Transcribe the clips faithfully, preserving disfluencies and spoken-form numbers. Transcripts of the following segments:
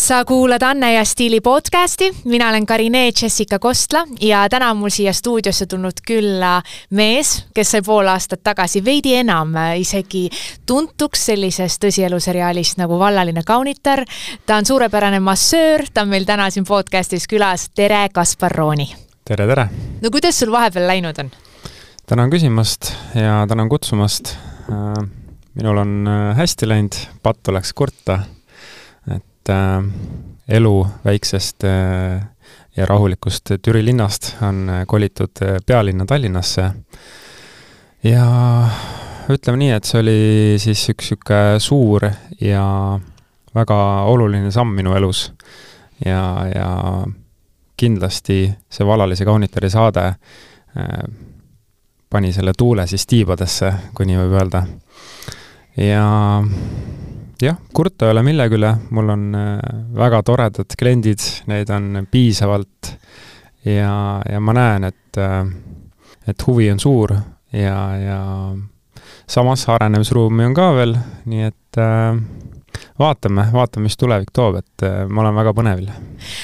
Sa kuulad Anne ja Stiili podcasti, mina olen Karine Jessica Kostla ja täna on mul siia stuudiosse tulnud külla mees, kes sai pool aastat tagasi veidi enam isegi tuntuks sellises tõsieluseriaalist nagu Vallaline kaunitar. Ta on suurepärane massöör, ta on meil täna siin podcastis külas. Tere, Kaspar Rooni! Tere, tere! No kuidas sul vahepeal läinud on? Tänan küsimast ja tänan kutsumast. Minul on hästi läinud, pattu läks kurta. Äh, elu väiksest äh, ja rahulikust Türi linnast on kolitud pealinna Tallinnasse. Ja ütleme nii, et see oli siis üks üks suur ja väga oluline samm minu elus. Ja, ja kindlasti see Vallalise kaunitari saade äh, pani selle tuule siis tiibadesse, kui nii võib öelda. Ja jah, kurta ei ole millegi üle, mul on väga toredad kliendid, neid on piisavalt ja, ja ma näen, et, et huvi on suur ja, ja samas arenemisruumi on ka veel, nii et vaatame, vaatame, mis tulevik toob, et ma olen väga põnevil.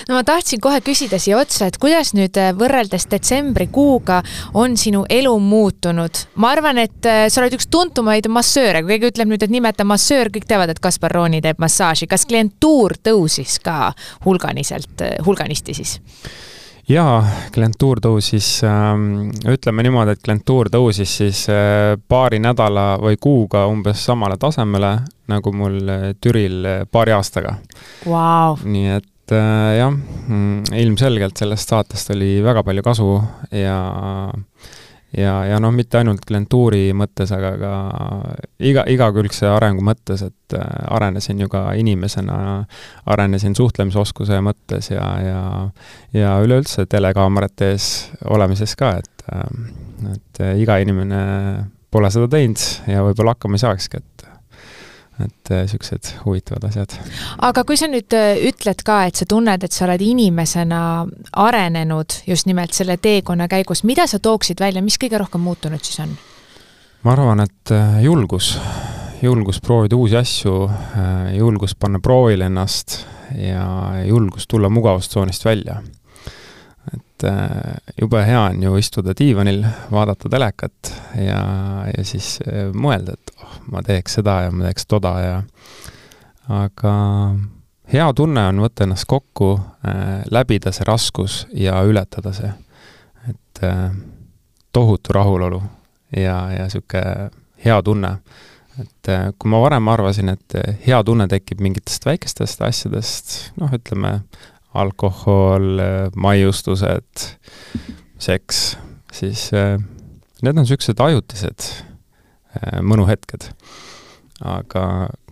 No ma tahtsin kohe küsida siia otsa, et kuidas nüüd võrreldes detsembri kuuga on sinu elu muutunud? Ma arvan, et sa oled üks tuntumaid massööre. Kui keegi ütleb nüüd, et nimeta massöör, kõik teavad, et Kaspar Rooni teeb massaaži. Kas klientuur tõusis ka hulganiselt, hulganisti siis? Jaa, klientuur tõusis, ähm, ütleme niimoodi, et klientuur tõusis siis äh, paari nädala või kuuga umbes samale tasemele, nagu mul Türil paari aastaga. Wow. Nii et äh, jah, ilmselgelt sellest saatest oli väga palju kasu ja, ja, ja noh, mitte ainult klientuuri mõttes, aga ka iga, igakülgse arengu mõttes, et äh, arenesin ju ka inimesena, arenesin suhtlemisoskuse mõttes ja, ja, ja üleüldse telekaamerate ees olemises ka, et, äh, et iga inimene pole seda teinud ja võib-olla hakkama ei saakski, et et sellised huvitavad asjad. Aga kui sa nüüd ütled ka, et sa tunned, et sa oled inimesena arenenud just nimelt selle teekonna käigus, mida sa tooksid välja, mis kõige rohkem muutunud siis on? Ma arvan, et julgus, julgus proovida uusi asju, julgus panna proovile ennast ja julgus tulla mugavustsoonist välja. Et jube hea on ju istuda diivanil, vaadata telekat ja, ja siis mõelda, et oh, ma teeks seda ja ma teeks toda ja aga hea tunne on võtta ennast kokku, äh, läbida see raskus ja ületada see. Et äh, tohutu rahulolu ja, ja süke hea tunne. Et äh, kui ma varem arvasin, et hea tunne tekib mingitest väikestest asjadest, noh ütleme alkohol, maiustused, seks, siis äh, need on sellised ajutised äh, mõnuhetked. Aga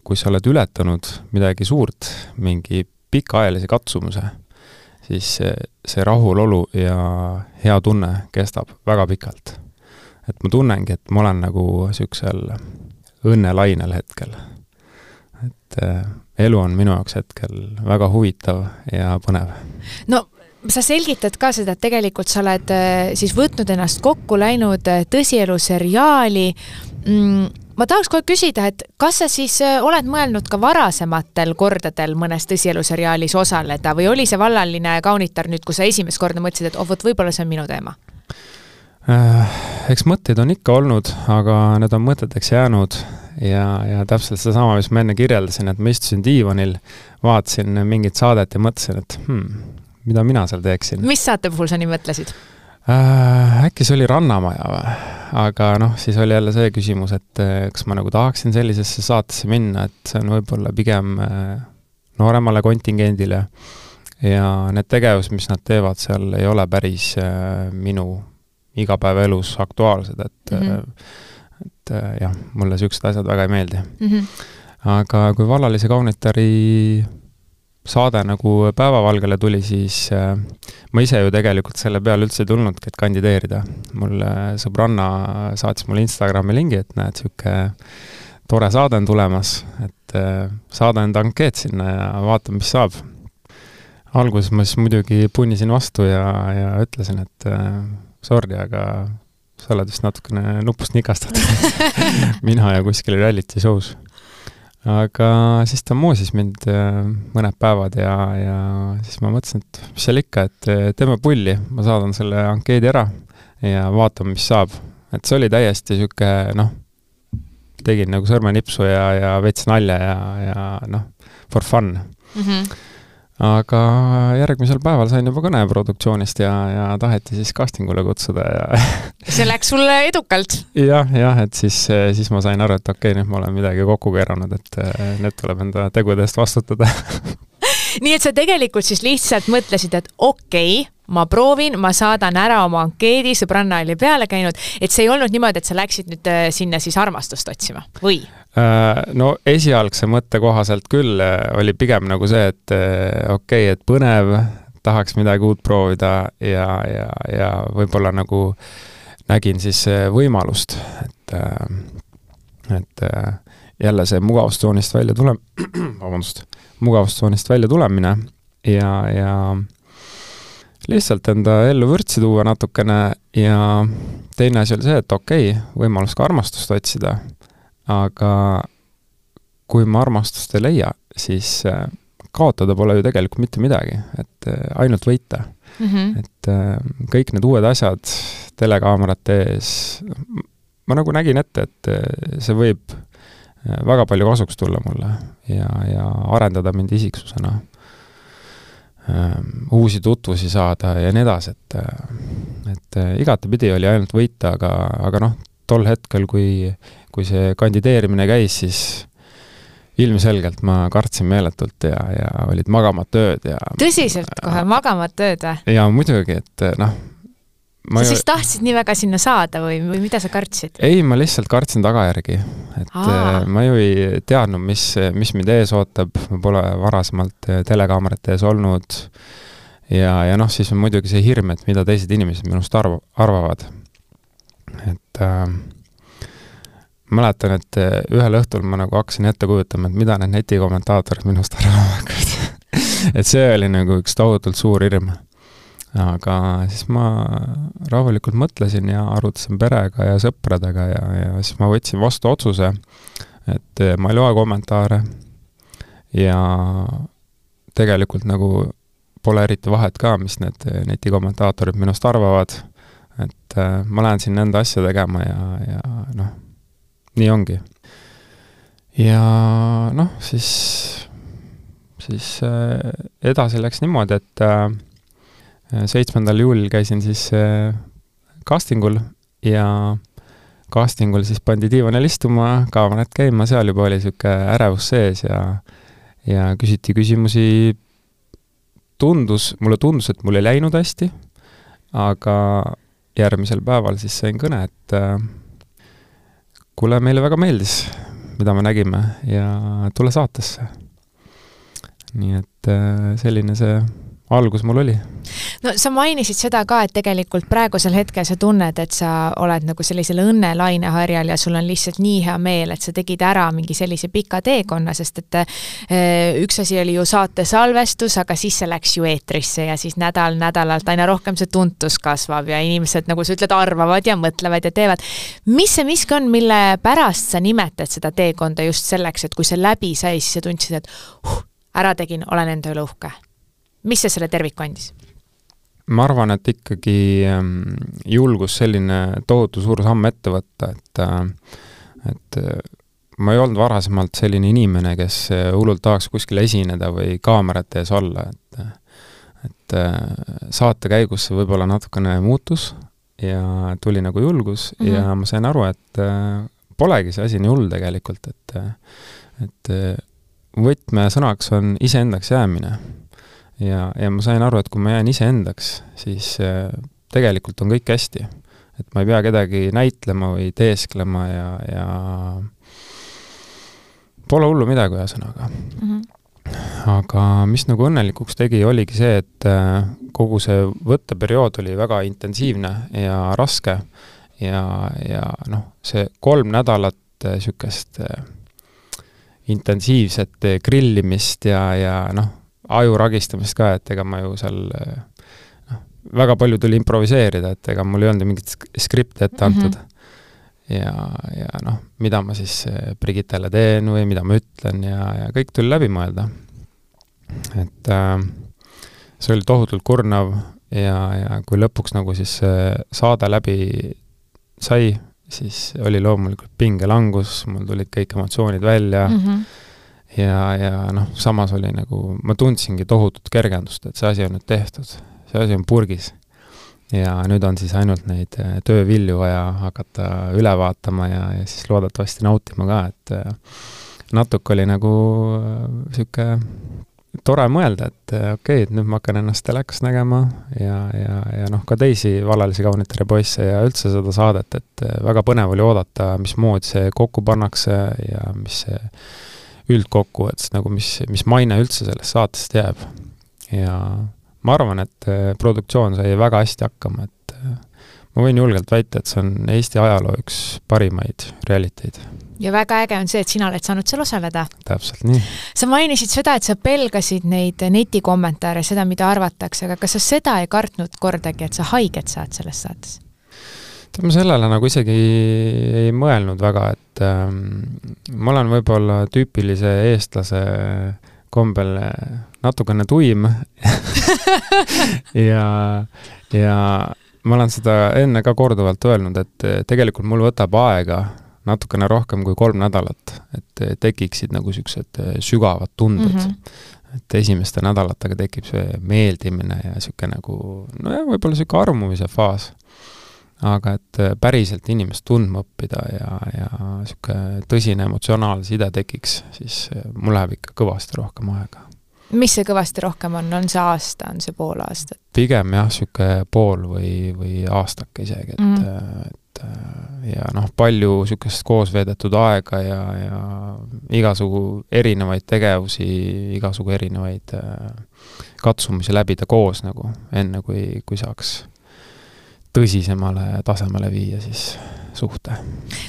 kui sa oled ületanud midagi suurt, mingi pikaajalise katsumuse, siis see, see rahulolu ja hea tunne kestab väga pikalt. Et ma tunnengi, et ma olen nagu sellisel õnnelainel hetkel. Et äh, elu on minu jaoks hetkel väga huvitav ja põnev. No, sa selgitad ka seda, et tegelikult sa oled siis võtnud ennast kokku, läinud tõsieluseriaali. Ma tahaks kohe küsida, et kas sa siis oled mõelnud ka varasematel kordadel mõnes tõsieluseriaalis osaleda või oli see Vallaline kaunitar nüüd, kui sa esimest korda mõtlesid, et oh, võt, võib-olla see on minu teema? Eks mõtteid on ikka olnud, aga need on mõteteks jäänud ja, ja täpselt seda sama, mis ma enne kirjeldasin, et ma istusin diivanil, vaatasin mingit saadet ja mõtlesin, et hmm, mida mina seal teeksin. Mis saate puhul sa nii mõtlesid? Äh, äkki see oli Rannamaja või? Aga noh, siis oli jälle see küsimus, et kas ma nagu tahaksin sellisesse saatesse minna, et see on võib-olla pigem nooremale kontingendile ja need tegevus, mis nad teevad seal, ei ole päris minu igapäevaelus aktuaalsed, et, mm-hmm. et jah, mulle sellised asjad väga ei meeldi. Mm-hmm. Aga kui Vallalise kaunitari saade nagu päevavalgele tuli, siis äh, ma ise ju tegelikult selle peale üldse ei tulnudki, et kandideerida. Mul sõbranna saatis mulle Instagrami lingi, et näed, selline tore saade on tulemas, et äh, saada enda ankeet sinna ja vaatame, mis saab. Alguses ma siis muidugi punnisin vastu ja, ja ütlesin, et äh, sorry, aga sa oled vist natukene nupust nikastad. Mina ja kuskil reality show's. aga siis ta moosis mind mõned päevad ja, ja siis ma mõtlesin, et mis seal ikka, et teeme pulli, ma saadan selle ankeedi ära ja vaatame, mis saab. Et see oli täiesti siuke, noh, tegin nagu sõrmenipsu ja, ja veits nalja ja, ja noh, for fun. Mm-hmm. Aga järgmisel päeval sain juba kõne produktsioonist ja, ja taheti siis castingule kutsuda ja see läks sulle edukalt? jah, jah, et siis, siis ma sain aru, et okei, nüüd ma olen midagi kokku keeranud, et need tuleb enda tegudest vastutada. Nii et sa tegelikult siis lihtsalt mõtlesid, et okei, ma proovin, ma saadan ära oma ankeedi, sõbranna oli peale käinud, et see ei olnud niimoodi, et sa läksid nüüd sinna siis armastust otsima, või? No esialgse mõtte kohaselt küll oli pigem nagu see, et okei, et põnev, tahaks midagi uut proovida ja, ja, ja võib-olla nagu nägin siis võimalust, et, et jälle see mugavustsoonist välja tule-, vabandust, mugavustsoonist välja tulemine ja, ja lihtsalt enda ellu vürtsi tuua natukene ja teine asi oli see, et okei, võimalus ka armastust otsida, aga kui ma armastust ei leia, siis kaotada pole ju tegelikult mitte midagi, et ainult võita. Mm-hmm. Et kõik need uued asjad telekaamerate ees, ma nagu nägin ette, et see võib väga palju kasuks tulla mulle ja, ja arendada mind isiksusena, uusi tutvusi saada ja nii edasi, et, et igatepidi oli ainult võita, aga, aga noh, tol hetkel, kui, kui see kandideerimine käis, siis ilmselgelt ma kartsin meeletult ja, ja olid magamata ööd. Ja, tõsiselt kohe, magamata ööd või? Ja muidugi, et noh, sa ju... siis tahtsid nii väga sinna saada või, või mida sa kartsid? Ei, ma lihtsalt kartsin tagajärgi. Et Aa. ma ju ei teadnud, mis, mis mind ees ootab. Ma pole varasemalt telekaamerate ees olnud. Ja, ja noh, siis on muidugi see hirm, et mida teised inimesed minust arv, arvavad. Et äh, mäletan, et ühel õhtul ma nagu hakkasin ette kujutama, et mida need netikommentaatorid minust arvavad. et see oli nagu üks tohutult suur hirm. Aga siis ma rahulikult mõtlesin ja arutasin perega ja sõpradega ja, ja siis ma võtsin vastu otsuse, et ma ei loe kommentaare ja tegelikult nagu pole eriti vahet ka, mis need netikommentaatorid minust arvavad, et ma lähen siin enda asja tegema ja, ja noh, nii ongi. Ja noh, siis, siis edasi läks niimoodi, et seitsmendal juulil käisin siis castingul ja castingul siis pandi diivanil istuma, kaamerad käima, seal juba oli siuke ärevus sees ja, ja küsiti küsimusi. Tundus, mulle tundus, et mul ei läinud hästi, aga järgmisel päeval siis sain kõne, et kuule, meile väga meeldis, mida me nägime ja tule saatesse. Nii et selline see algus mul oli. No sa mainisid seda ka, et tegelikult praegusel hetkel sa tunned, et sa oled nagu sellisel õnnelaineharjal ja sul on lihtsalt nii hea meel, et sa tegid ära mingi sellise pika teekonna, sest et üks asi oli ju saate salvestus, aga siis see läks ju eetrisse ja siis nädal nädalalt aina rohkem see tuntus kasvab ja inimesed, nagu sa ütled, arvavad ja mõtlevad ja teevad. Mis see miski on, mille pärast sa nimetad seda teekonda just selleks, et kui see läbi sai, siis sa tundsid, et huh, ära tegin, olen enda üle uhke. Mis see selle terviku andis? Ma arvan, et ikkagi julgus selline tohutu suur samm ette võtta, et, et ma ei olnud varasemalt selline inimene, kes hullult tahaks kuskil esineda või kaamerate ees olla, et, et saate käigus see võib-olla natukene muutus ja tuli nagu julgus mm-hmm. ja ma sain aru, et polegi see asi nii hull tegelikult, et, et võtmesõnaks on iseendaks jäämine. Ja, ja ma sain aru, et kui ma jään ise endaks, siis tegelikult on kõik hästi. Et ma ei pea kedagi näitlema või teesklema ja, ja pole hullu midagi ühesõnaga. Mm-hmm. Aga mis nagu õnnelikuks tegi, oligi see, et kogu see võtteperiood oli väga intensiivne ja raske ja, ja noh, see kolm nädalat sükest intensiivset grillimist ja, ja noh, aju ragistamist ka, et ega ma ju seal no, väga palju tuli improviseerida, et ega mul ei olnud mingit skripti ette antud. Mm-hmm. ja, ja noh, mida ma siis Brigittele teen või mida ma ütlen ja, ja kõik tuli läbi mõelda. Et äh, see oli tohutult kurnav ja, ja kui lõpuks nagu siis saade läbi sai, siis oli loomulikult pingelangus, mul tulid kõik emotsioonid välja mm -hmm. ja, ja noh, samas oli nagu, ma tundsingi tohutut kergendust, et see asi on nüüd tehtud, see asi on purgis. Ja nüüd on siis ainult neid töövilju vaja hakata üle vaatama ja, ja siis loodetavasti nautima ka, et natuke oli nagu siuke tore mõelda, et okei, okay, et nüüd ma hakkan ennast telekas nägema ja, ja, ja noh, ka teisi Vallalisi kaunitere poisse ja üldse seda saadet, et väga põnev oli oodata, mismoodi see kokku pannakse ja mis see üldkokku, et nagu mis, mis maine üldse sellest saatest jääb. Ja ma arvan, et produktsioon sai väga hästi hakkama, et ma võin julgelt väita, et see on Eesti ajaloo üks parimaid realiteid. Ja väga äge on see, et sina oled saanud seal osaleda. Täpselt nii. Sa mainisid seda, et sa pelgasid neid netikommentaare, seda, mida arvatakse, aga kas sa seda ei kartnud kordagi, et sa haiget saad selles saates? Ma sellele nagu isegi ei mõelnud väga, et ähm, ma olen võib-olla tüüpilise eestlase kombel natukene tuim ja, ja ma olen seda enne ka korduvalt öelnud, et tegelikult mul võtab aega natukene rohkem kui kolm nädalat, et tekiksid nagu siuksed sügavad tunded. Mm -hmm. Et esimeste nädalatega tekib see meeldimine ja siuke nagu, no ja võib-olla siuke armumise faas. Aga et päriselt inimest tundma õppida ja, ja siuke tõsine emotsionaalne side tekiks, siis mul läheb ikka kõvasti rohkem aega. Mis see kõvasti rohkem on? On see aasta, on see pool aastat? Pigem jah, siuke pool või, või aastake isegi, et, mm. et ja noh, palju siukest koos veedetud aega ja, ja igasugu erinevaid tegevusi, igasugu erinevaid katsumisi läbida koos nagu, enne kui, kui saaks tõsisemale tasemele viia siis suhte.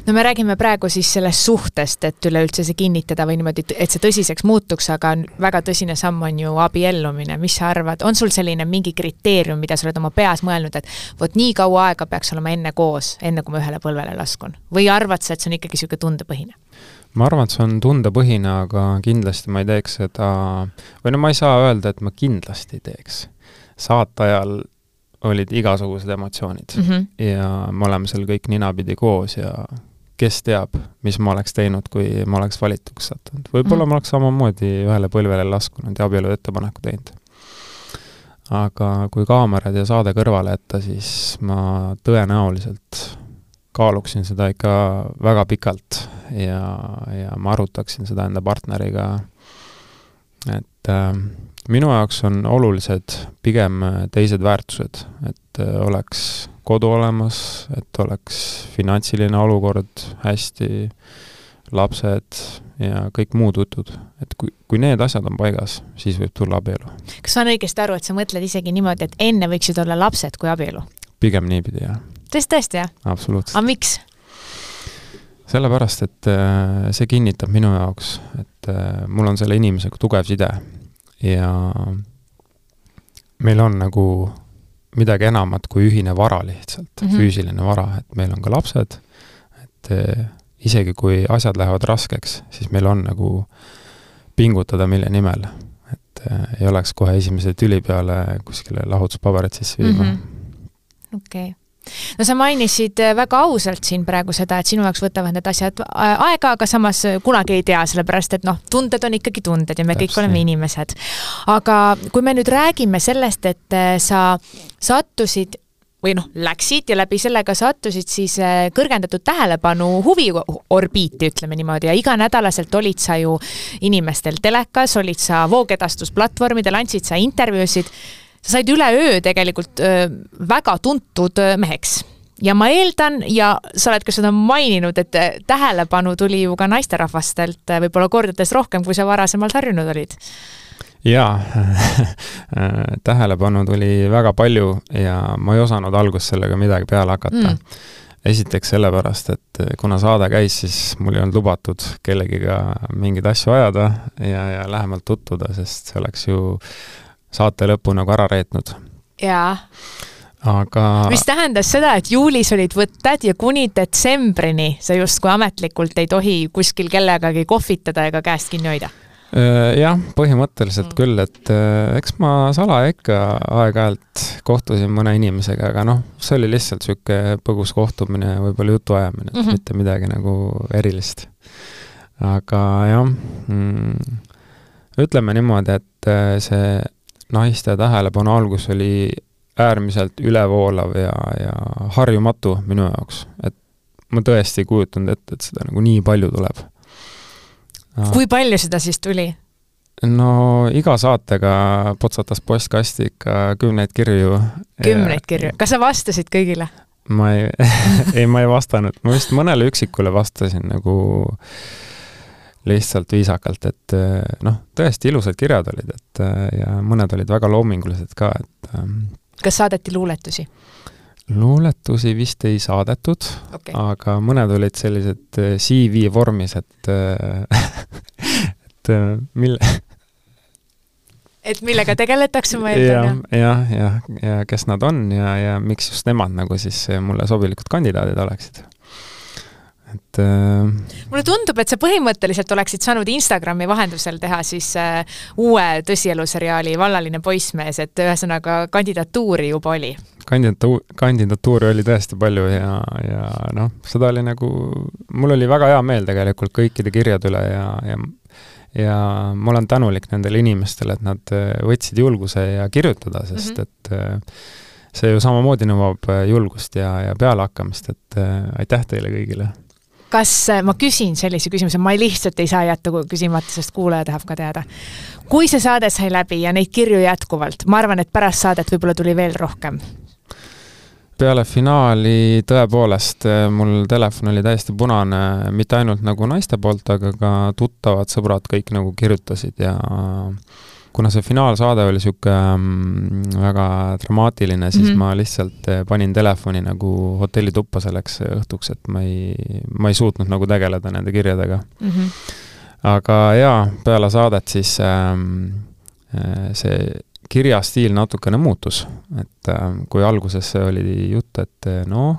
No me räägime praegu siis sellest suhtest, et üleüldse see kinnitada või niimoodi, et see tõsiseks muutuks, aga väga tõsine samm on ju abiellumine. Mis sa arvad? On sul selline mingi kriteerium, mida sa oled oma peas mõelnud, et vot nii kaua aega peaks olema enne koos, enne kui ma ühele põlvele laskun? Või arvad sa, et see on ikkagi siuke tundepõhine? Ma arvan, et see on tundepõhine, aga kindlasti ma ei teeks seda, või no ma ei saa öelda, et ma kindlasti ei teeks. Saate ajal olid igasugused emotsioonid mm -hmm. ja me oleme seal kõik ninapidi koos ja kes teab, mis ma oleks teinud, kui ma oleks valituks sattunud. Võib-olla mm -hmm. ma oleks samamoodi ühele põlvele laskunud ja abielu ettepaneku teinud. Aga kui kaamerad ja saade kõrvale jätta, siis ma tõenäoliselt kaaluksin seda ikka väga pikalt ja, ja ma arutaksin seda enda partneriga, et äh, minu jaoks on olulised pigem teised väärtused, et oleks kodu olemas, et oleks finantsiline olukord hästi, lapsed ja kõik muud jutud. Et kui, kui need asjad on paigas, siis võib tulla abielu. Kas saan õigesti aru, et sa mõtled isegi niimoodi, et enne võiksid olla lapsed kui abielu? Pigem niipidi, jah. Tõesti, tõesti, jah? Absoluutselt. Aga miks? Sellepärast, et see kinnitab minu jaoks, et mul on selle inimesega tugev side ja meil on nagu midagi enamat kui ühine vara lihtsalt, mm -hmm. füüsiline vara, et meil on ka lapsed, et isegi kui asjad lähevad raskeks, siis meil on nagu pingutada mille nimel, et ei oleks kohe esimese tüli peale kuskile lahutuspaberit sisse viima. Mm -hmm. Okei. Okay. No sa mainisid väga ausalt siin praegu seda, et sinu jaoks võtavad need asjad aega, aga samas kunagi ei tea, sellepärast et noh, tunded on ikkagi tunded ja me Täpselt. Kõik oleme inimesed. Aga kui me nüüd räägime sellest, et sa sattusid või noh, läksid ja läbi sellega sattusid siis kõrgendatud tähelepanu huviorbiiti, ütleme niimoodi, ja iganädalaselt olid sa ju inimestel telekas, olid sa voogedastusplatvormidel, andsid sa intervjuusid. Sa said üle öö tegelikult öö, väga tuntud öö, meheks. Ja ma eeldan, ja sa oled ka seda maininud, et tähelepanu tuli ju ka naisterahvastelt võib-olla kordades rohkem, kui sa varasemalt harjunud olid. Jaa, tähelepanu tuli väga palju ja ma ei osanud alguses sellega midagi peale hakata. Mm. Esiteks sellepärast, et kuna saade käis, siis mul ei olnud lubatud kellegiga mingeid asju ajada ja, ja lähemalt tutvuda, sest see oleks ju saate lõppu nagu ära reetnud. Jaa. aga... Mis tähendas seda, et juulis olid võtted ja kuni detsembrini sa just kui ametlikult ei tohi kuskil kellegagi kohvitada ega käest kinni hoida? Jah, põhimõtteliselt mm. küll, et eks ma salaja ikka aeg-ajalt kohtusin mõne inimesega, aga noh, see oli lihtsalt süke põgus kohtumine, võib-olla jutu ajamine, mm-hmm. mitte midagi nagu erilist. Aga jah, mm, ütleme niimoodi, et see naiste tähelepanu algus oli äärmiselt ülevoolav ja, ja harjumatu minu jaoks, et ma tõesti ei kujutanud ette, et seda nagu nii palju tuleb. Kui palju seda siis tuli? No iga saatega potsatas postkasti ikka kümneid kirju. Kümneid kirju? Kas sa vastasid kõigile? Ma ei, ei, ma ei vastanud. Ma vist mõnele üksikule vastasin nagu lihtsalt viisakalt, et noh, tõesti ilusad kirjad olid, et ja mõned olid väga loomingulised ka. Et, kas saadeti luuletusi? Luuletusi vist ei saadetud, okay. Aga mõned olid sellised C V vormis, et, et mille... Et millega tegeletakse, ma eeldan? Ja, ja, ja, ja kes nad on ja, ja miks just nemad nagu siis mulle sobilikud kandidaadid oleksid. Et, äh... mulle tundub, et sa põhimõtteliselt oleksid saanud Instagrami vahendusel teha siis äh, uue tõsieluseriaali Vallaline poissmees, et ühesõnaga kandidatuuri juba oli. Kandidatu- kandidatuuri oli tõesti palju ja, ja noh, seda oli nagu, mul oli väga hea meel tegelikult kõikide kirjad üle ja, ja, ja ma olen tänulik nendele inimestele, et nad võtsid julguse ja kirjutada, sest mm-hmm. et see ju samamoodi nõuab julgust ja, ja pealehakkamist, et aitäh teile kõigile. Kas ma küsin sellise küsimuse, ma lihtsalt ei saa jätta küsimata, sest kuulaja tahab ka teada. Kui see saade sai läbi ja neid kirju jätkuvalt, ma arvan, et pärast saadet võib-olla tuli veel rohkem. Peale finaali tõepoolest mul telefon oli täiesti punane, mitte ainult nagu naiste poolt, aga ka tuttavad sõbrad kõik nagu kirjutasid ja kuna see finaalsaade oli siuke väga dramaatiline, siis mm-hmm. ma lihtsalt panin telefoni nagu hotellituppa selleks õhtuks, et ma ei, ma ei suutnud nagu tegeleda nende kirjadega. Mm-hmm. Aga jaa, peale saadet siis ähm, see kirjastiil natukene muutus, et ähm, kui alguses oli jutt, et noh,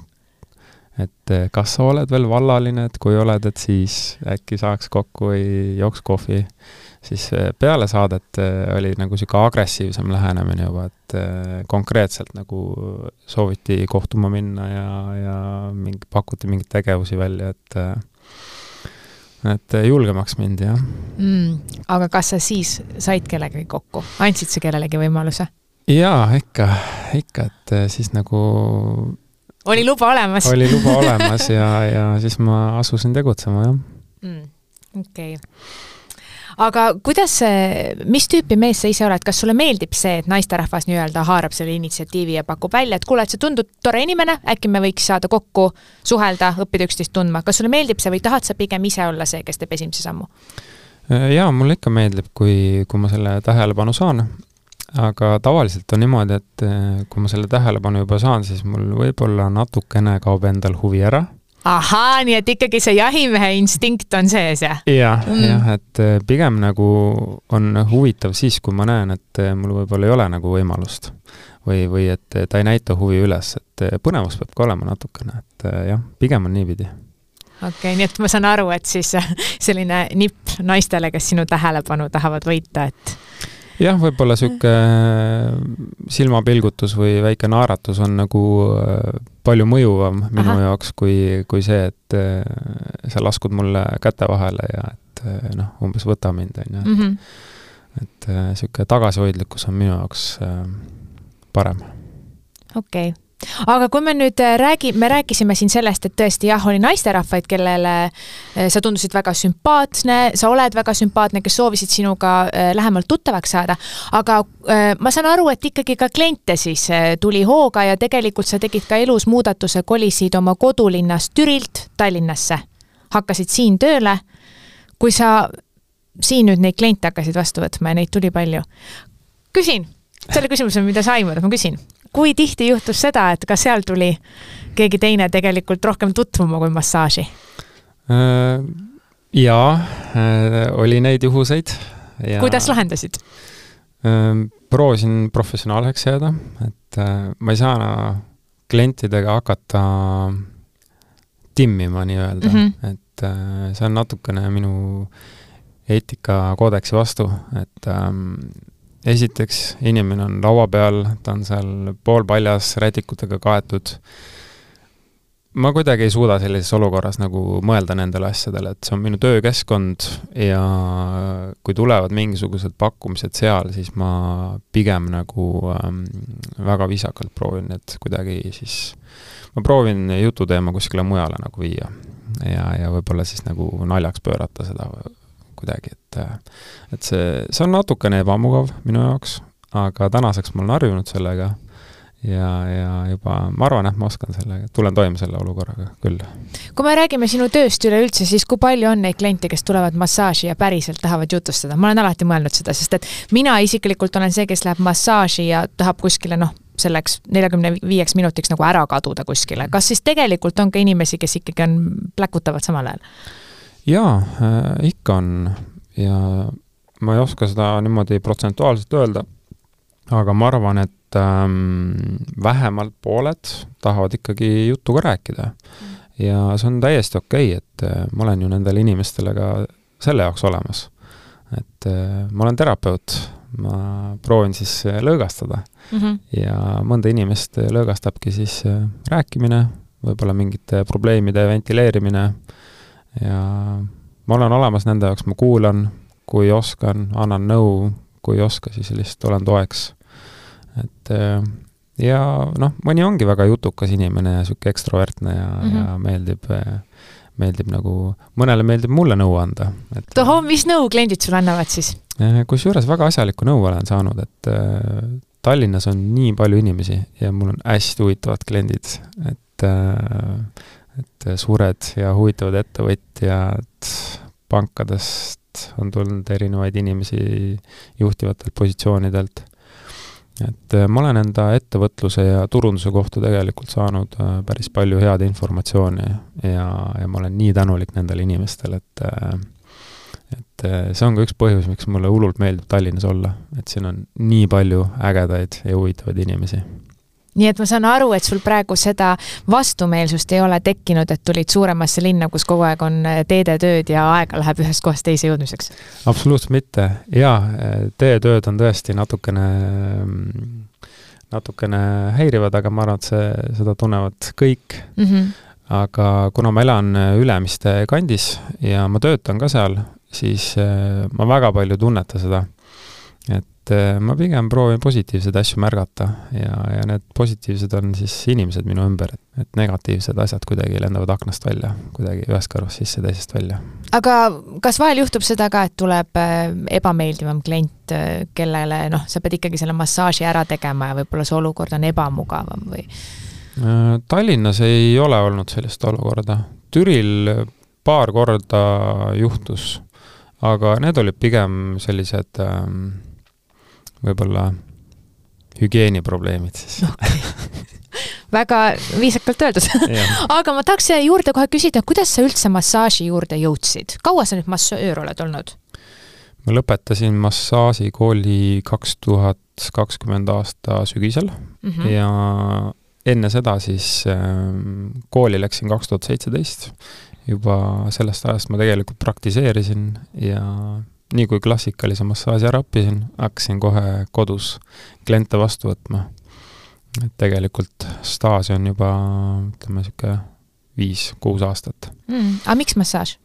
et kas sa oled veel vallaline, et kui oled, et siis äkki saaks kokku või jooks kohvi, siis peale saadet oli nagu siuke agressiivsem lähenemine juba, et konkreetselt nagu sooviti kohtuma minna ja, ja mingi, pakuti mingeid tegevusi välja, et, et julgemaks mind, jah. Mm, aga kas sa siis said kellegagi kokku? Andsid sa kellelegi võimaluse? Jaa, ikka, ikka, et siis nagu... Oli luba olemas? Oli luba olemas ja, ja siis ma asusin tegutsema, jah. Mm, okei. Okay. Aga kuidas, mis tüüpi mees sa ise oled? Kas sulle meeldib see, et naisterahvas nii-öelda haarab selle initsiatiivi ja pakub välja, et kuule, et sa tundud tore inimene, äkki me võiks saada kokku, suhelda, õppida üksteist tundma. Kas sulle meeldib see või tahad sa pigem ise olla see, kes teeb esimese sammu? Jaa, mulle ikka meeldib, kui, kui ma selle tähelepanu saan. Aga tavaliselt on niimoodi, et kui ma selle tähelepanu juba saan, siis mul võib-olla natukene kaob endal huvi ära. Ahaa, nii et ikkagi see jahimehe instinkt on sees, jah? Jah, mm. jah, et pigem nagu on huvitav siis, kui ma näen, et mul võib-olla ei ole nagu võimalust või, või et ta ei näita huvi üles, et põnevus peab ka olema natukene, et jah, pigem on niipidi. Okei, okay, nii et ma saan aru, et siis selline nipp naistele, kes sinu tähelepanu tahavad võita, et jah, võib-olla siuke silmapilgutus või väike naaratus on nagu palju mõjuvam minu Aha. jaoks kui, kui see, et sa laskud mulle käte vahele ja et noh, umbes võta mind. Ja, et, mm-hmm. et siuke tagasihoidlikkus on minu jaoks parem. Okei. Okay. Aga kui me nüüd räägi, me rääkisime siin sellest, et tõesti jah, oli naisterahvaid, kellele sa tundusid väga sümpaatne, sa oled väga sümpaatne, kes soovisid sinuga lähemalt tuttavaks saada, aga ma saan aru, et ikkagi ka kliente siis tuli hooga ja tegelikult sa tegid ka elus muudatuse, kolisid oma kodulinnast Türilt Tallinnasse, hakkasid siin tööle. Kui sa siin nüüd neid kliente hakkasid vastu võtma ja neid tuli palju. Küsin, selle küsimuse, mida sa aimad, ma küsin. Kui tihti juhtus seda, et ka seal tuli keegi teine tegelikult rohkem tutvuma kui massaaži? Jaa, oli neid juhuseid. Ja kuidas lahendasid? Proovisin professionaalseks jääda, et ma ei saa klientidega hakata timmima nii-öelda, mm -hmm. et see on natukene minu eetikakoodeksi vastu, et ähm, esiteks inimene on laua peal, ta on seal poolpaljas rätikutega kaetud. Ma kuidagi ei suuda sellises olukorras nagu mõelda nendele asjadele, et see on minu töökeskkond ja kui tulevad mingisugused pakkumised seal, siis ma pigem nagu ähm, väga viisakalt proovin, et kuidagi siis ma proovin jututeema kuskile mujale nagu viia ja, ja võib-olla siis nagu naljaks pöörata seda kuidagi, et, et see, see on natukene ebamugav minu jaoks, aga tänaseks ma olen harjunud sellega ja, ja juba ma arvan, et ma oskan sellega, tulen toime selle olukorraga küll. Kui me räägime sinu tööst üleüldse, siis kui palju on neid kliente, kes tulevad massaaži ja päriselt tahavad jutustada? Ma olen alati mõelnud seda, sest et mina isiklikult olen see, kes läheb massaaži ja tahab kuskile, noh, selleks neljakümne viieks minutiks nagu ära kaduda kuskile. Kas siis tegelikult on ka inimesi, kes ikkagi on pläkutavad samal ajal? Jaa, äh, ikka on ja ma ei oska seda niimoodi protsentuaalselt öelda, aga ma arvan, et ähm, vähemalt pooled tahavad ikkagi jutuga rääkida. Mm. Ja see on täiesti okei, et äh, ma olen ju nendele inimestele ka selle jaoks olemas. Et äh, ma olen terapeut, ma proovin siis lõõgastada mm -hmm. ja mõnda inimest lõõgastabki siis äh, rääkimine, võib-olla mingite probleemide ventileerimine ja ma olen olemas nende jaoks, ma kuulan, kui oskan, annan nõu, kui ei oska, siis lihtsalt olen toeks. Et ja noh, mõni ongi väga jutukas inimene ja süke ekstrovertne ja, mm -hmm. ja meeldib, meeldib nagu, mõnele meeldib mulle nõu anda. Toho, mis nõu kliendid sul annavad siis? Kus juures väga asjalikku nõu olen saanud, et Tallinnas on nii palju inimesi ja mul on hästi huvitavad kliendid, et et suured ja huvitavad ettevõtjad pankadest on tulnud erinevaid inimesi juhtivatelt positsioonidelt. Et ma olen enda ettevõtluse ja turunduse kohta tegelikult saanud päris palju head informatsiooni ja, ja ma olen nii tänulik nendele inimestele, et, et see on ka üks põhjus, miks mulle hullult meeldib Tallinnas olla, et siin on nii palju ägedaid ja huvitavaid inimesi. Nii et ma saan aru, et sul praegu seda vastumeelsust ei ole tekkinud, et tulid suuremasse linna, kus kogu aeg on teedetööd ja aega läheb ühest kohast teise jõudmiseks? Absoluutselt mitte. Jaa, teedetööd on tõesti natukene, natukene häirivad, aga ma arvan, et see, seda tunnevad kõik. Mm -hmm. Aga kuna ma elan Ülemiste kandis ja ma töötan ka seal, siis ma väga palju tunneta seda. Et ma pigem proovin positiivsed asju märgata ja, ja need positiivsed on siis inimesed minu ümber, et, et negatiivsed asjad kuidagi lendavad aknast välja, kuidagi ühest kõrvast sisse, teisest välja. Aga kas vahel juhtub seda ka, et tuleb ebameeldivam klient, kellele noh, sa pead ikkagi selle massaaži ära tegema ja võib-olla see olukord on ebamugavam või? Tallinnas ei ole olnud sellist olukorda. Türil paar korda juhtus, aga need olid pigem sellised ähm, võib-olla hügieeniprobleemid siis. Okay. Väga viisakalt öeldud. Aga ma tahaks juurde kohe küsida, kuidas sa üldse massaaži juurde jõudsid? Kaua sa nüüd massöör oled olnud? Ma lõpetasin massaažikooli kaks tuhat kakskümmend aasta sügisel mm -hmm. ja enne seda siis kooli läksin kaks tuhat seitseteist. Juba sellest ajast ma tegelikult praktiseerisin ja nii kui klassikalise massaaži ära õppisin, hakkasin kohe kodus kliente vastu võtma. Et tegelikult staasi on juba, ütleme, siuke viis, kuus aastat. Mm, aga miks massaaž?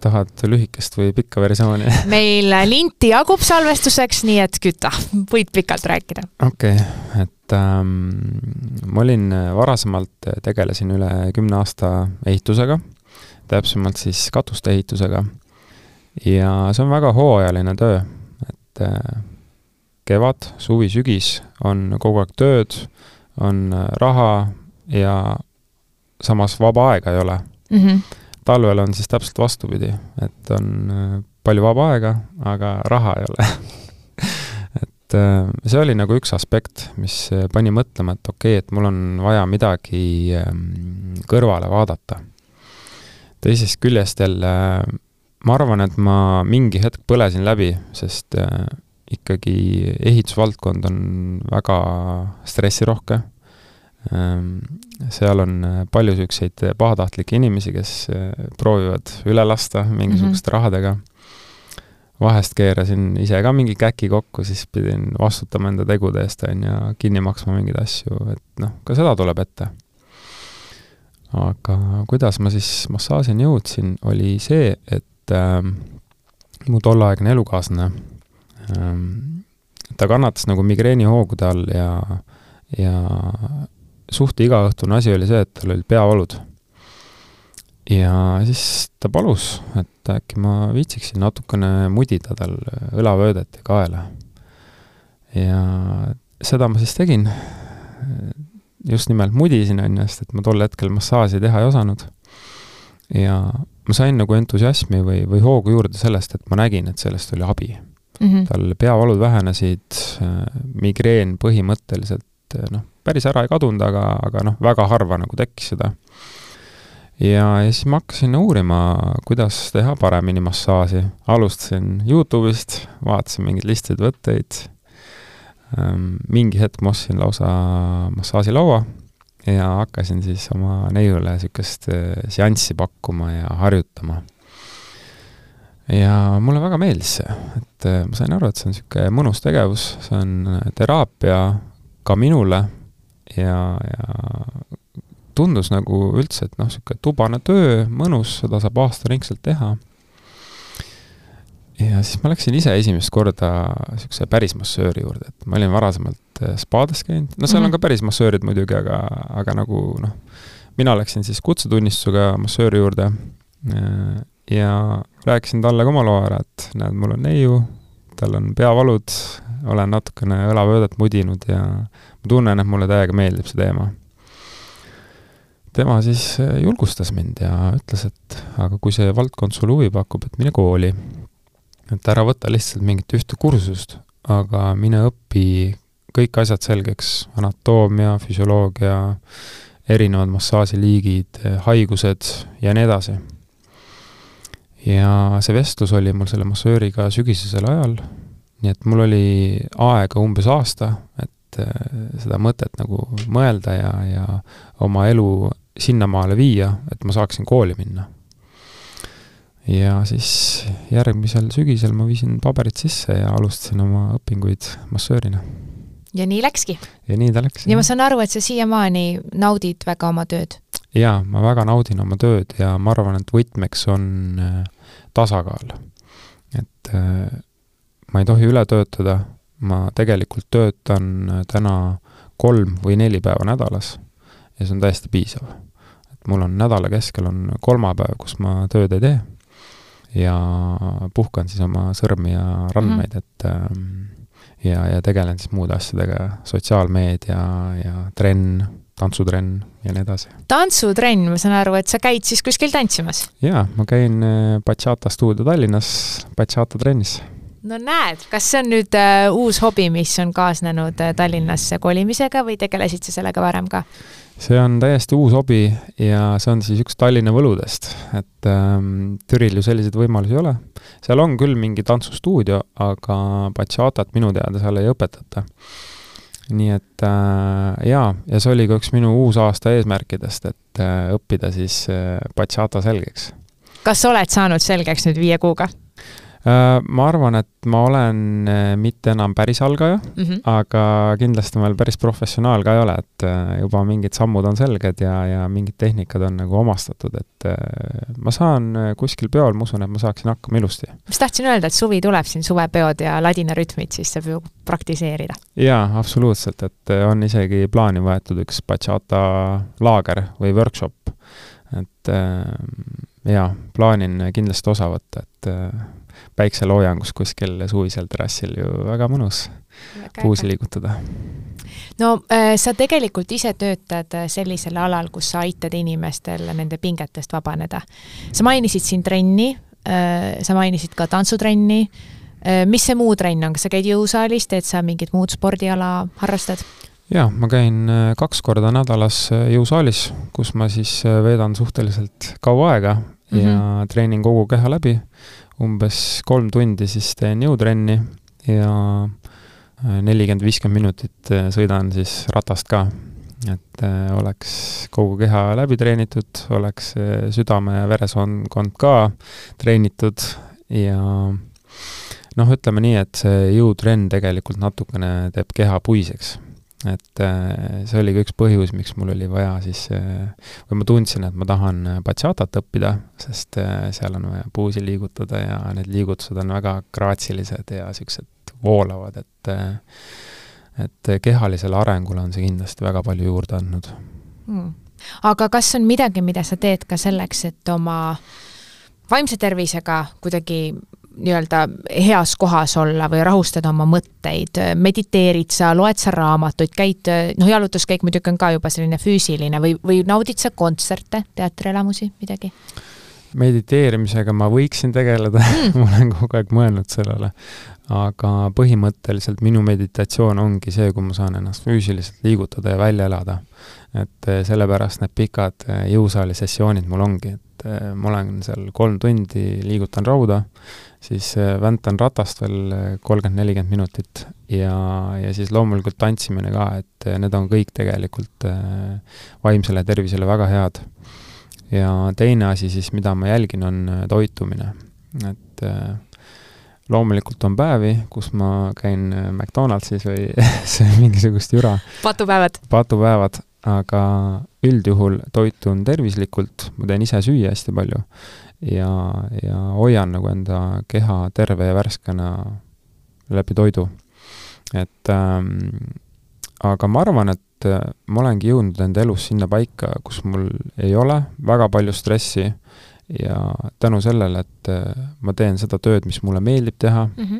Tahad lühikest või pikka versiooni? Meil linti jagub salvestuseks, nii et küta, võid pikalt rääkida. Okei, okay, et ähm, ma olin varasemalt, tegelesin üle kümne aasta ehitusega, täpsemalt siis katuste ehitusega. Ja see on väga hooajaline töö, et äh, kevad, suvi, sügis on kogu aeg tööd, on raha ja samas vaba aega ei ole. Mm-hmm. Talvel on siis täpselt vastupidi, et on palju vaba aega, aga raha ei ole. Et see oli nagu üks aspekt, mis pani mõtlema, et okei, okay, et mul on vaja midagi kõrvale vaadata. Teisest küljest jälle ma arvan, et ma mingi hetk põlesin läbi, sest äh, ikkagi ehitusvaldkond on väga stressirohke. Ähm, seal on palju sükseid pahatahtlikke inimesi, kes äh, proovivad üle lasta mingisuguste mm-hmm. rahadega. Vahest keerasin ise ka mingi käki kokku, siis pidin vastutama enda tegude eest ja kinni maksma mingeid asju, et noh, ka seda tuleb ette. Aga kuidas ma siis massaažini jõudsin, oli see, et ähm, mu tollaegne elukaaslane, ähm, ta kannatas nagu migreeni hoogude all ja, ja suht igaõhtune asi oli see, et tal oli peavalud. Ja siis ta palus, et äkki ma viitsiksin natukene mudida tal õlavöödet ja kaela. Ja seda ma siis tegin. Just nimelt mudisin ennast, et ma tol hetkel massaasi teha ei osanud. Ja ma sain nagu entusiasmi või, või hoogu juurde sellest, et ma nägin, et sellest oli abi. Mm-hmm. Tal peavalud vähenesid, migreen põhimõtteliselt, noh, päris ära ei kadunud, aga, aga noh, väga harva nagu tekkis seda. Ja, ja siis ma hakkasin uurima, kuidas teha paremini massaaži. Alustasin YouTube'ist, vaatasin mingeid listid võtteid. Mingi hetk ma ostsin lausa massaažilaua ja hakkasin siis oma neiule sükest seanssi pakkuma ja harjutama. Ja mulle väga meeldis see, et ma sain aru, et see on süke mõnus tegevus, see on teraapia ka minule ja, ja tundus nagu üldse, et noh, süke tubane töö, mõnus, seda saab aastaringselt teha. Ja siis ma läksin ise esimest korda sükse päris massööri juurde, et ma olin varasemalt spaades käinud. No seal on ka päris massöörid muidugi, aga, aga nagu noh, mina läksin siis kutsetunnistusega massööri juurde ja rääkisin talle ka oma loo ära, et näed, mul on neiu, tal on peavalud, olen natukene õlavöödet mudinud ja ma tunnen, et mulle täiega meeldib see teema. Tema siis julgustas mind ja ütles, et aga kui see valdkond sulle huvi pakub, et mine kooli. Et ära võtta lihtsalt mingit ühte kursust, aga mine õpi kõik asjad selgeks, anatoomia, füsioloogia, erinevad massaažiliigid, haigused ja nii edasi. Ja see vestlus oli mul selle massööriga sügisesel ajal, nii et mul oli aega umbes aasta, et seda mõtet nagu mõelda ja, ja oma elu sinnamaale viia, et ma saaksin kooli minna. Ja siis järgmisel sügisel ma viisin paberid sisse ja alustasin oma õpinguid massöörina. Ja nii läkski? Ja nii ta läks. Ja ma saan aru, et sa siiamaani naudid väga oma tööd? Jaa, ma väga naudin oma tööd ja ma arvan, et võtmeks on tasakaal. Et ma ei tohi üle töötada, ma tegelikult töötan täna kolm või neli päeva nädalas ja see on täiesti piisav. Et mul on nädala keskel on kolmapäev, kus ma tööd ei tee ja puhkan siis oma sõrmi ja randmeid, et ja, ja tegelen siis muude asjadega, sotsiaalmeedia ja trenn, tantsutrenn ja nii edasi. Tantsutrenn, ma saan aru, et sa käid siis kuskil tantsimas? Jaa, ma käin Bachata stuudio Tallinnas Bachata trennis. No näed, kas see on nüüd uh, uus hobi, mis on kaasnenud uh, Tallinnasse kolimisega või tegelesid sa sellega varem ka? See on täiesti uus hobi ja see on siis üks Tallinna võludest, et ähm, Türil ju selliseid võimalusi ei ole. Seal on küll mingi tantsustuudio, aga Bachatat minu teada seal ei õpetata. Nii et äh, jaa, ja see oli ka üks minu uus aasta eesmärkidest, et äh, õppida siis äh, Bachata selgeks. Kas oled saanud selgeks nüüd viie kuuga? Ma arvan, et ma olen mitte enam päris algaja, mm-hmm. aga kindlasti ma päris professionaal ka ei ole, et juba mingid sammud on selged ja, ja mingid tehnikad on nagu omastatud, et ma saan kuskil peol, ma usun, et ma saaksin hakkama ilusti. Mis tahtsin öelda, et suvi tuleb siin suvepeod ja ladina rütmid, siis saab ju praktiseerida. Jaa, absoluutselt, et on isegi plaani võetud üks Bachata laager või workshop, et jaa, plaanin kindlasti osa võtta, et päikseloojangus kuskil suvisel terrassil ju väga mõnus puusi liigutada. No äh, sa tegelikult ise töötad sellisel alal, kus sa aitad inimestel nende pingetest vabaneda. Sa mainisid siin trenni, äh, sa mainisid ka tantsutrenni. Äh, mis see muu trenn on? Kas sa käid jõusaalis, teed sa mingit muud spordiala harrastad? Jaa, ma käin kaks korda nädalas jõusaalis, kus ma siis veedan suhteliselt kaua aega mm-hmm. ja treenin kogu keha läbi. Umbes kolm tundi siis teen jõutrenni ja nelikümmend viiskümmend minutit sõidan siis ratast ka. Et oleks kogu keha läbi treenitud, oleks südame ja veresoonkond ka treenitud ja noh, ütleme nii, et see jõutrenn tegelikult natukene teeb keha puiseks. Et see oli ka üks põhjus, miks mul oli vaja siis, või ma tundsin, et ma tahan bachatat õppida, sest seal on vaja puusi liigutada ja need liigutused on väga graatsilised ja sellised voolavad, et, et kehalisele arengule on see kindlasti väga palju juurde andnud. Hmm. Aga kas on midagi, mida sa teed ka selleks, et oma vaimse tervisega kuidagi nii-öelda heas kohas olla või rahustada oma mõtteid, mediteerid sa, loed sa raamatuid, käid, noh, jalutuskäik muidugi on ka juba selline füüsiline või, või naudid sa kontserte, teatrielamusi, midagi? Mediteerimisega ma võiksin tegeleda, mm. ma olen kogu aeg mõelnud sellele, aga põhimõtteliselt minu meditatsioon ongi see, kui ma saan ennast füüsiliselt liigutada ja välja elada. Et sellepärast need pikad jõusaali sessioonid mul ongi, et ma olen seal kolm tundi, liigutan rauda, siis väntan ratast veel kolmkümmend nelikümmend minutit ja, ja siis loomulikult tantsimine ka, et need on kõik tegelikult vaimsele tervisele väga head. Ja teine asi siis, mida ma jälgin, on toitumine. Et loomulikult on päevi, kus ma käin McDonaldsis või see mingisugust jura. Patupäevad. Patupäevad, aga üldjuhul toitun tervislikult, ma teen ise süüa hästi palju ja, ja hoian nagu enda keha terve ja värskena läbi toidu. Et ähm, aga ma arvan, et ma olengi jõudnud enda elus sinna paika, kus mul ei ole väga palju stressi ja tänu sellele, et ma teen seda tööd, mis mulle meeldib teha mm-hmm.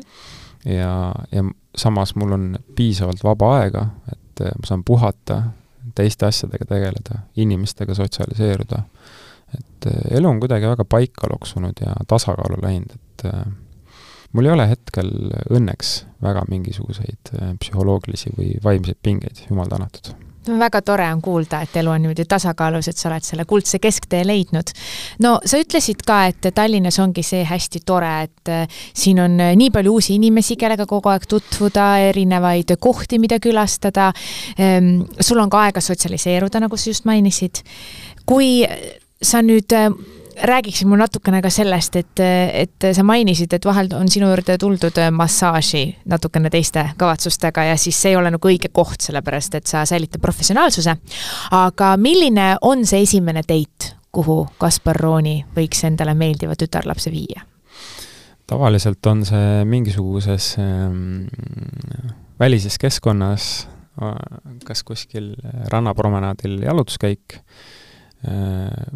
ja, ja samas mul on piisavalt vaba aega, et ma saan puhata, teiste asjadega tegeleda, inimestega sotsialiseeruda. Et elu on kuidagi väga paika loksunud ja tasakaalu läinud, et mul ei ole hetkel õnneks väga mingisuguseid psühholoogilisi või vaimseid pingeid, jumal tänatud. Väga tore on kuulda, et elu on niimoodi tasakaalus, et sa oled selle kuldse kesktee leidnud. No sa ütlesid ka, et Tallinnas ongi see hästi tore, et siin on nii palju uusi inimesi, kellega kogu aeg tutvuda, erinevaid kohti, mida külastada. Sul on ka aega sotsialiseeruda, nagu sa just mainisid. Kui sa nüüd räägiksid mul natukene ka sellest, et, et sa mainisid, et vahel on sinu juurde tuldud massaaži natukene teiste kavatsustega ja siis see ei ole nagu õige koht, sellepärast, et sa säilitad professionaalsuse. Aga milline on see esimene date, kuhu Kaspar Rooni võiks endale meeldiva tütarlapse viia? Tavaliselt on see mingisuguses ähm, välises keskkonnas, kas kuskil rannapromenaadil jalutuskäik,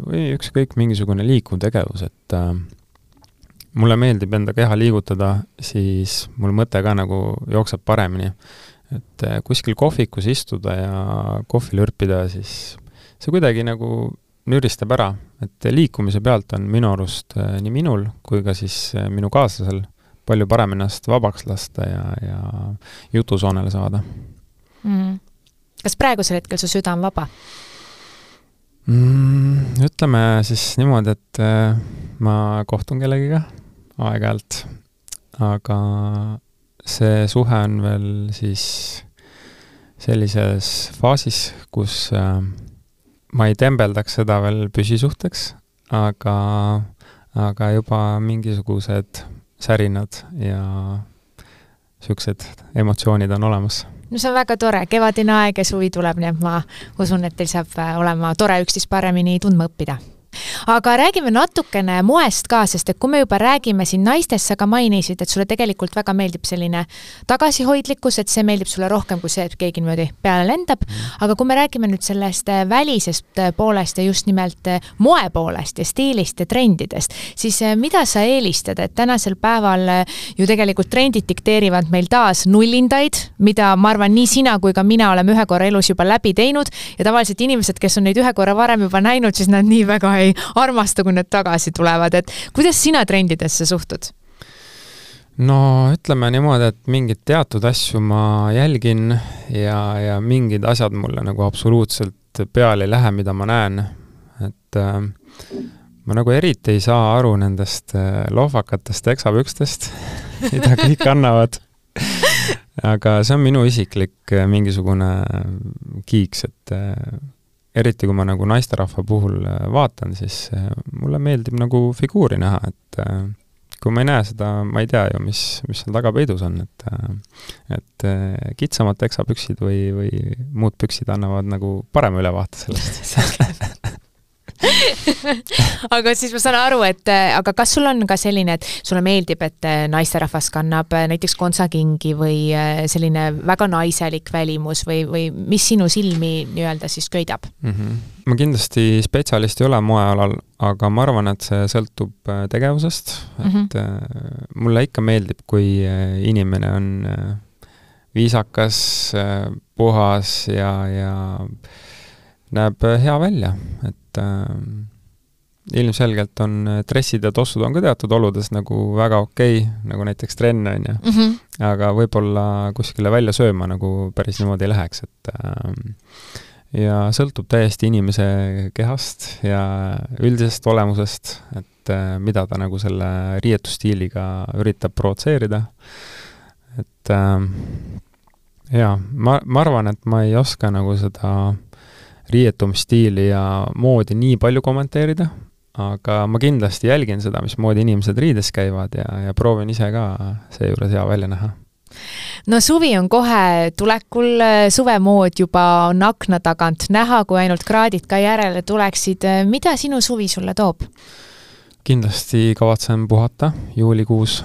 või ükskõik mingisugune liikuv tegevus, et äh, mulle meeldib enda keha liigutada, siis mul mõte ka nagu jookseb paremini. Et äh, kuskil kohvikus istuda ja kohvi lürpida, siis see kuidagi nagu nüristab ära, et liikumise pealt on minu arust äh, nii minul kui ka siis äh, minu kaaslasel palju parem ennast vabaks lasta ja, ja jutusoonele saada. Mm. Kas praegusel hetkel su süda on vaba? Mm, ütleme siis niimoodi, et äh, ma kohtun kellegiga aeg-ajalt, aga see suhe on veel siis sellises faasis, kus äh, ma ei tembeldaks seda veel püsisuhteks, aga, aga juba mingisugused särinad ja sellised emotsioonid on olemas. No see on väga tore, kevadine aeg ja suvi tuleb, nii et ma usun, et teil saab olema tore üksteist paremini tundma õppida. Aga räägime natukene moest ka, sest et kui me juba räägime siin naistest, sa ka mainisid, et sulle tegelikult väga meeldib selline tagasihoidlikkus, et see meeldib sulle rohkem kui see, et keegi niimoodi peale lendab. Aga kui me räägime nüüd sellest välisest poolest ja just nimelt moe poolest ja stiilist ja trendidest, siis mida sa eelistad, et tänasel päeval ju tegelikult trendid dikteerivad meil taas nullindaid, mida ma arvan nii sina kui ka mina oleme ühe korra elus juba läbi teinud ja tavaliselt inimesed, kes on neid ühe korra varem juba näinud, siis nad nii väga ei armasta, kui need tagasi tulevad, et kuidas sina trendidesse suhtud? No ütleme niimoodi, et mingid teatud asju ma jälgin ja, ja mingid asjad mulle nagu absoluutselt peale ei lähe, mida ma näen. Et äh, ma nagu eriti ei saa aru nendest lohvakatest teksapükstest, mida kõik annavad. Aga see on minu isiklik mingisugune kiiks, et eriti kui ma nagu naisterahva puhul vaatan, siis mulle meeldib nagu figuuri näha, et kui ma ei näe seda, ma ei tea ju, mis, mis seal taga peidus on, et, et kitsamad teksapüksid või, või muud püksid annavad nagu parema ülevaate sellest. Aga siis ma saan aru, et aga kas sul on ka selline, et sulle meeldib, et naisterahvas kannab näiteks kontsakingi või selline väga naiselik välimus või, või mis sinu silmi nii-öelda siis köidab? Mm-hmm. Ma kindlasti spetsialist ei ole moealal, aga ma arvan, et see sõltub tegevusest, et mm-hmm. mulle ikka meeldib, kui inimene on viisakas, puhas ja, ja näeb hea välja, et äh, ilmselgelt on dressid ja tossud on ka teatud oludes nagu väga okei, nagu näiteks trenn on ja. Mm-hmm. Aga võib-olla kuskile välja sööma nagu päris niimoodi ei läheks, et äh, ja sõltub täiesti inimese kehast ja üldisest olemusest, et äh, mida ta nagu selle riietusstiiliga üritab provotseerida. Et äh, jaa, ma, ma arvan, et ma ei oska nagu seda riietumisstiili ja moodi nii palju kommenteerida, aga ma kindlasti jälgin seda, mis moodi inimesed riides käivad ja, ja proovin ise ka seejuures hea välja näha. No suvi on kohe tulekul, suvemood juba on akna tagant näha, kui ainult kraadid ka järele tuleksid. Mida sinu suvi sulle toob? Kindlasti kavatsen puhata juulikuus.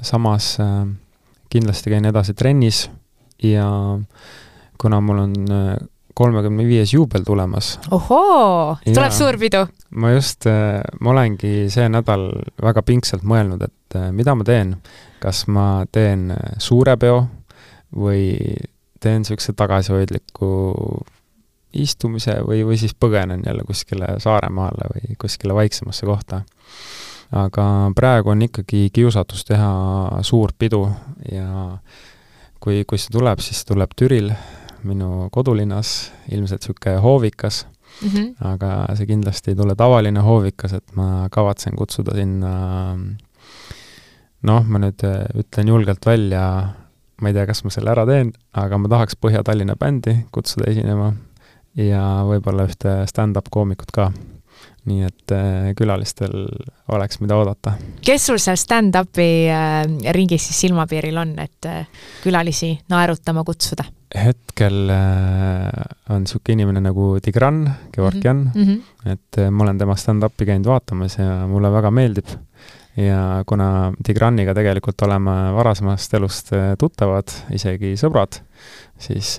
Samas kindlasti käin edasi trennis ja kuna mul on kolmekümne viies juubel tulemas. Ohoo, tuleb suur pidu. Ma just, ma olengi see nädal väga pingsalt mõelnud, et mida ma teen. Kas ma teen suure peo või teen sellise tagasihoidliku istumise või, või siis põgenen jälle kuskile Saaremaale või kuskile vaiksemasse kohta. Aga praegu on ikkagi kiusatus teha suurt pidu ja kui, kui see tuleb, siis tuleb Türil minu kodulinnas, ilmselt süke hoovikas, mm-hmm. aga see kindlasti ei tule tavaline hoovikas, et ma kavatsen kutsuda sinna, noh, ma nüüd ütlen julgelt välja, ma ei tea, kas ma selle ära teen, aga ma tahaks Põhja-Tallinna bändi kutsuda esinema ja võib-olla ühte stand-up koomikut ka. Nii et külalistel oleks mida oodata. Kes sul seal stand-upi ringis siis silmapiiril on, et külalisi naerutama kutsuda? Hetkel on siuke inimene nagu Tigran, Georgian, mm-hmm. et ma olen tema stand-upi käinud vaatamas ja mulle väga meeldib. Ja kuna Tigraniga tegelikult oleme varasemast elust tuttavad, isegi sõbrad, siis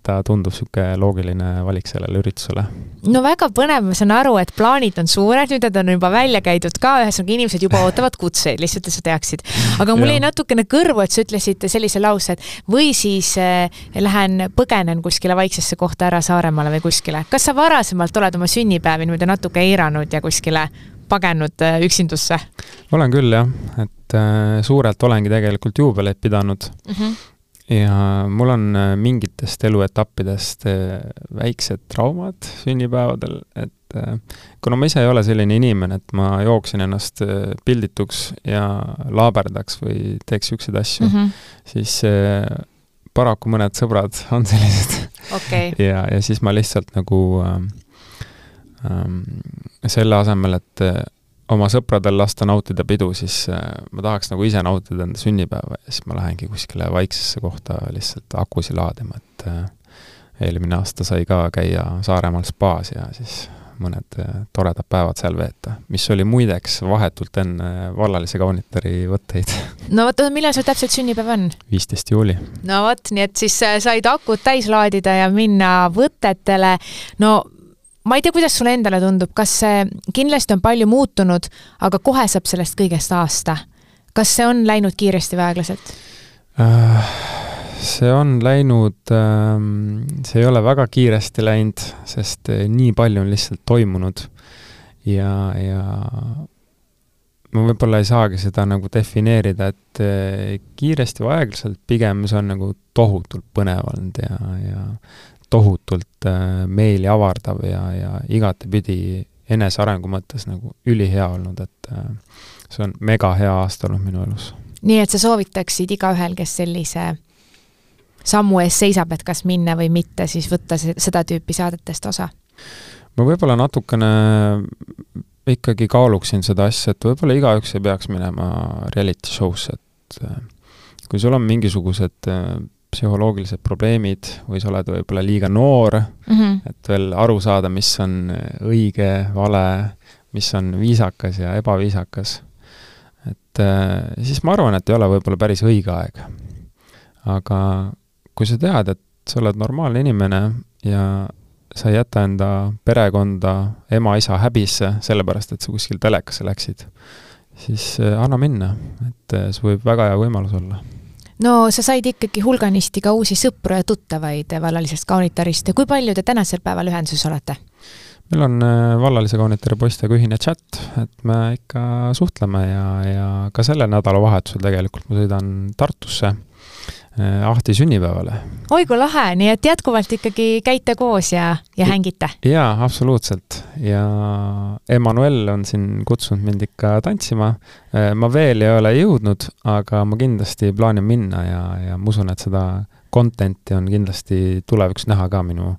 ta tundub siuke loogiline valik sellele üritusele. No väga põnev, ma saan aru, et plaanid on suured, nüüd on juba välja käidud ka, ühesõnaga inimesed juba ootavad kutseid, lihtsalt sa teaksid. Aga mul jäi natukene kõrvu, et sa ütlesid sellise lause, et või siis eh, lähen põgenen kuskile vaiksesse kohta ära Saaremaale või kuskile. Kas sa varasemalt oled oma sünnipäevi niimoodi natuke eiranud ja kuskile pagenud üksindusse? Olen küll, jah. Et äh, suurelt olengi tegelikult juubeleid pidanud. Mm-hmm. Ja mul on mingitest eluetappidest väiksed traumad sünnipäevadel, et kuna ma ise ei ole selline inimene, et ma jooksin ennast pildituks ja laaberdaks või teeks üksid asju, mm-hmm. siis paraku mõned sõbrad on sellised. Okay. ja, ja siis ma lihtsalt nagu ähm, selle asemel, et oma sõpradel lasta nautida pidu, siis ma tahaks nagu ise nautida enda sünnipäeva ja siis ma lähengi kuskile vaiksesse kohta lihtsalt akusi laadima, et eelmine aasta sai ka käia Saaremaal spaas ja siis mõned toredad päevad seal veeta, mis oli muideks vahetult enne vallalise kaunitari võtteid. No võt, millal sul täpselt sünnipäev on? viisteist juuli. No võt, nii et siis said akut täis laadida ja minna võtetele. No ma ei tea, kuidas sulle endale tundub, kas see kindlasti on palju muutunud, aga kohe saab sellest kõigest aasta. Kas see on läinud kiiresti või aeglaselt? See on läinud, see ei ole väga kiiresti läinud, sest nii palju on lihtsalt toimunud ja, ja ma võib-olla ei saagi seda nagu defineerida, et kiiresti või aeglaselt pigem see on nagu tohutult põnev olnud ja, ja tohutult meeli avardav ja, ja igatepidi enesearengu mõttes nagu ülihea olnud, et see on mega hea aasta olnud minu elus. Nii et sa soovitaksid igaühel, kes sellise sammu ees seisab, et kas minna või mitte, siis võtta seda tüüpi saadetest osa? Ma võib-olla natukene ikkagi kaaluksin seda asja, et võib-olla igaüks ei peaks minema reality show'sse, et kui sul on mingisugused psühholoogilised probleemid või sa oled võib-olla liiga noor, mm-hmm. et veel aru saada, mis on õige, vale, mis on viisakas ja ebaviisakas. Et siis ma arvan, et ei ole võib-olla päris õige aeg. Aga kui sa tead, et sa oled normaalne inimene ja sa ei jäta enda perekonda, ema, isa häbisse, sellepärast, et sa kuskil telekasse läksid, siis anna minna, et see võib väga hea võimalus olla. No sa said ikkagi hulganisti ka uusi sõpru ja tuttavaid vallalisest kaunitarist. Kui palju te tänasel päeval ühenduses olete? Meil on vallalise kaunitari poistega ühine chat, et me ikka suhtleme ja, ja ka selle nädala vahetusel tegelikult ma sõidan Tartusse Ahti sünnipäevale. Oi kui lahe, nii et jätkuvalt ikkagi käite koos ja, ja hängite? Jaa, absoluutselt. Ja Emmanuel on siin kutsunud mind ikka tantsima. Ma veel ei ole jõudnud, aga ma kindlasti plaanin minna ja, ja ma usun, et seda contenti on kindlasti tuleviks näha ka minu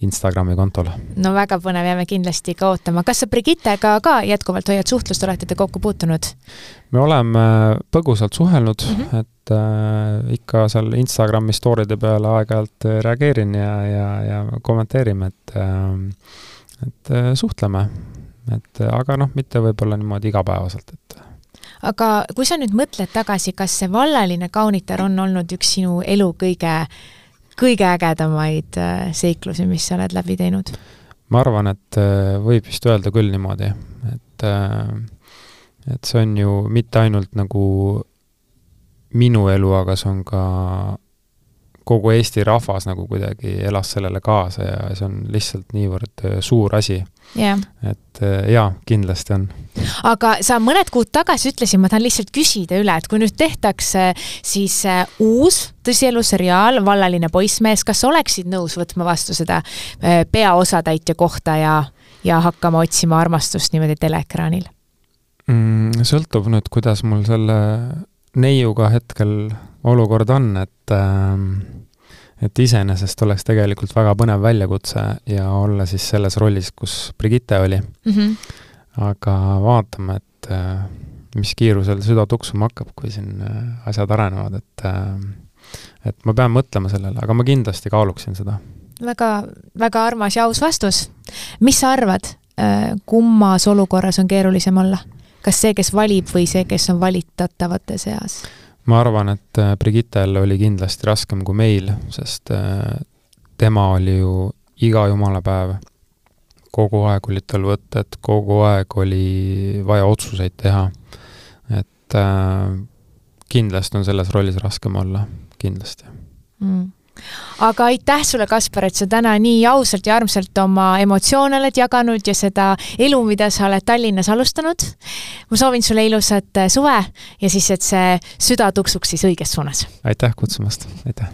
Instagrami kontol. No väga põnev, jääme kindlasti ka ootama. Kas sa Brigittega ka jätkuvalt hoiad suhtlust, olete te kokku puutunud? Me oleme põgusalt suhelnud, mm-hmm. et äh, ikka seal Instagrami storyde peale aeg-ajalt reageerin ja, ja, ja kommenteerime, et, äh, et äh, suhtleme. Et, aga noh, mitte võib-olla niimoodi igapäevaselt, et aga kui sa nüüd mõtled tagasi, kas see vallaline kaunitar on olnud üks sinu elu kõige, kõige ägedamaid seiklusi, mis sa oled läbi teinud? Ma arvan, et võib vist öelda küll niimoodi, et, et see on ju mitte ainult nagu minu elu, aga see on ka kogu Eesti rahvas nagu kuidagi elas sellele kaasa ja see on lihtsalt niivõrd suur asi. Yeah. Et jaa, kindlasti on. Aga sa mõned kuud tagasi ütlesin, ma tahan lihtsalt küsida üle, et kui nüüd tehtakse siis uus tõsielu seriaal Vallaline poissmees, kas oleksid nõus võtma vastu seda peaosatäitja kohta ja, ja hakkama otsima armastust niimoodi teleekraanil? Mm, sõltub nüüd, kuidas mul selle neiuga hetkel olukord on, et, et iseenesest oleks tegelikult väga põnev väljakutse ja olla siis selles rollis, kus Brigitte oli. Mm-hmm. Aga vaatame, et mis kiirusel süda tuksuma hakkab, kui siin asjad arenevad, et, et ma pean mõtlema sellele, aga ma kindlasti kaaluksin seda. Väga, väga armas ja aus vastus. Mis sa arvad, kummas olukorras on keerulisem olla? Kas see, kes valib või see, kes on valitatavate seas? Ma arvan, et Brigittel oli kindlasti raskem kui meil, sest tema oli ju iga jumalapäev. Kogu aeg oli tal võtted, kogu aeg oli vaja otsuseid teha. Et kindlasti on selles rollis raskem olla, kindlasti. Mm. Aga aitäh sulle, Kaspar, et sa täna nii ausalt ja armsalt oma emotsioone oled jaganud ja seda elu, mida sa oled Tallinnas alustanud. Ma soovin sulle ilusat suve ja siis, et see süda tuksuks siis õiges suunas. Aitäh kutsumast, aitäh!